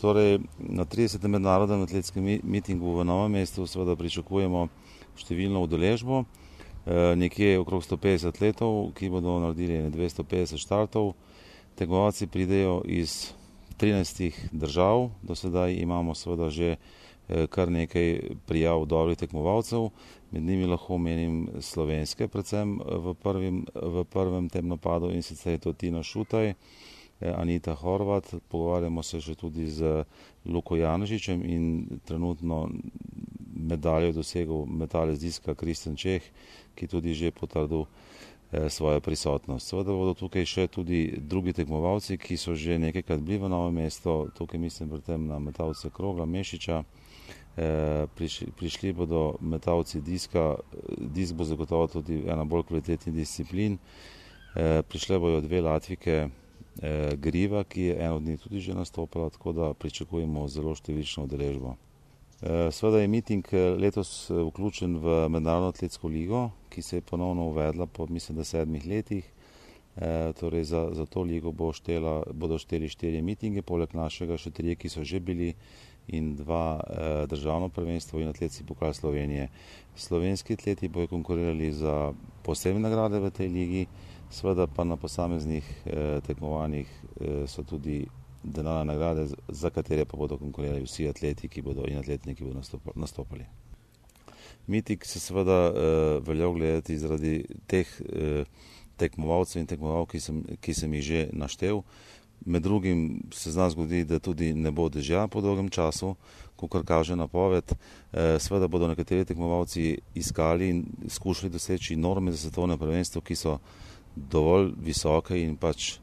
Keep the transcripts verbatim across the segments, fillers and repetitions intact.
Torej, na tridesetem mednarodnem atletskem mitingu v Novem mestu seveda pričakujemo številno udeležbo. Nekje okrog sto petdeset atletov, ki bodo naredili dvesto petdeset štartov. Tekmovalci pridejo iz trinajstih držav, do sedaj imamo seveda že kar nekaj prijav dobrih tekmovalcev, med njimi lahko omenim slovenske, predvsem v, prvim, v prvem tem napadu, in sicer je to Tina Šutaj, Anita Horvat, pogovarjamo se še tudi z Luko Janežičem in trenutno medaljo je dosegel metalec diska Kristjan Čeh, ki tudi že potrdil svojo prisotnost. Seveda bodo tukaj še tudi drugi tekmovalci, ki so že nekajkrat bili v Novem mestu, tukaj mislim predvsem na metalce Krogla, Mešiča. Prišli, prišli bodo metalci diska, disk bo zagotovo tudi ena bolj kvalitetnih disciplin. Prišle bojo dve Latvike, Griva, ki je eno od njih tudi že nastopila, tako da pričakujemo zelo številčno udeležbo. Seveda je miting letos vključen v Mednarodno atletsko ligo, ki se je ponovno uvedla po, mislim, da sedmih letih. Torej za, za to ligo bo štela, bodo šteli štirje mitinge, poleg našega še trije, ki so že bili, in dva eh, državno prvenstvo in atletski pokal Slovenije. Slovenski atleti bojo konkurirali za posebne nagrade v tej ligi, seveda pa na posameznih eh, tekmovanjih eh, so tudi denarne nagrade, za katere pa bodo konkurirali vsi atleti, ki bodo in atletni, ki bodo nastopali. Miting se seveda eh, velja gledati zaradi teh eh, tekmovalcev in tekmovalk, ki sem, ki sem jih že naštel. Med drugim se zna zgodi, da tudi ne bo dežja po dolgem času, kakor kaže napoved. Seveda bodo nekateri tekmovalci iskali in skušali doseči norme za svetovno prvenstvo, ki so dovolj visoke in pač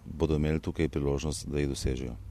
bodo imeli tukaj priložnost, da jih dosežejo.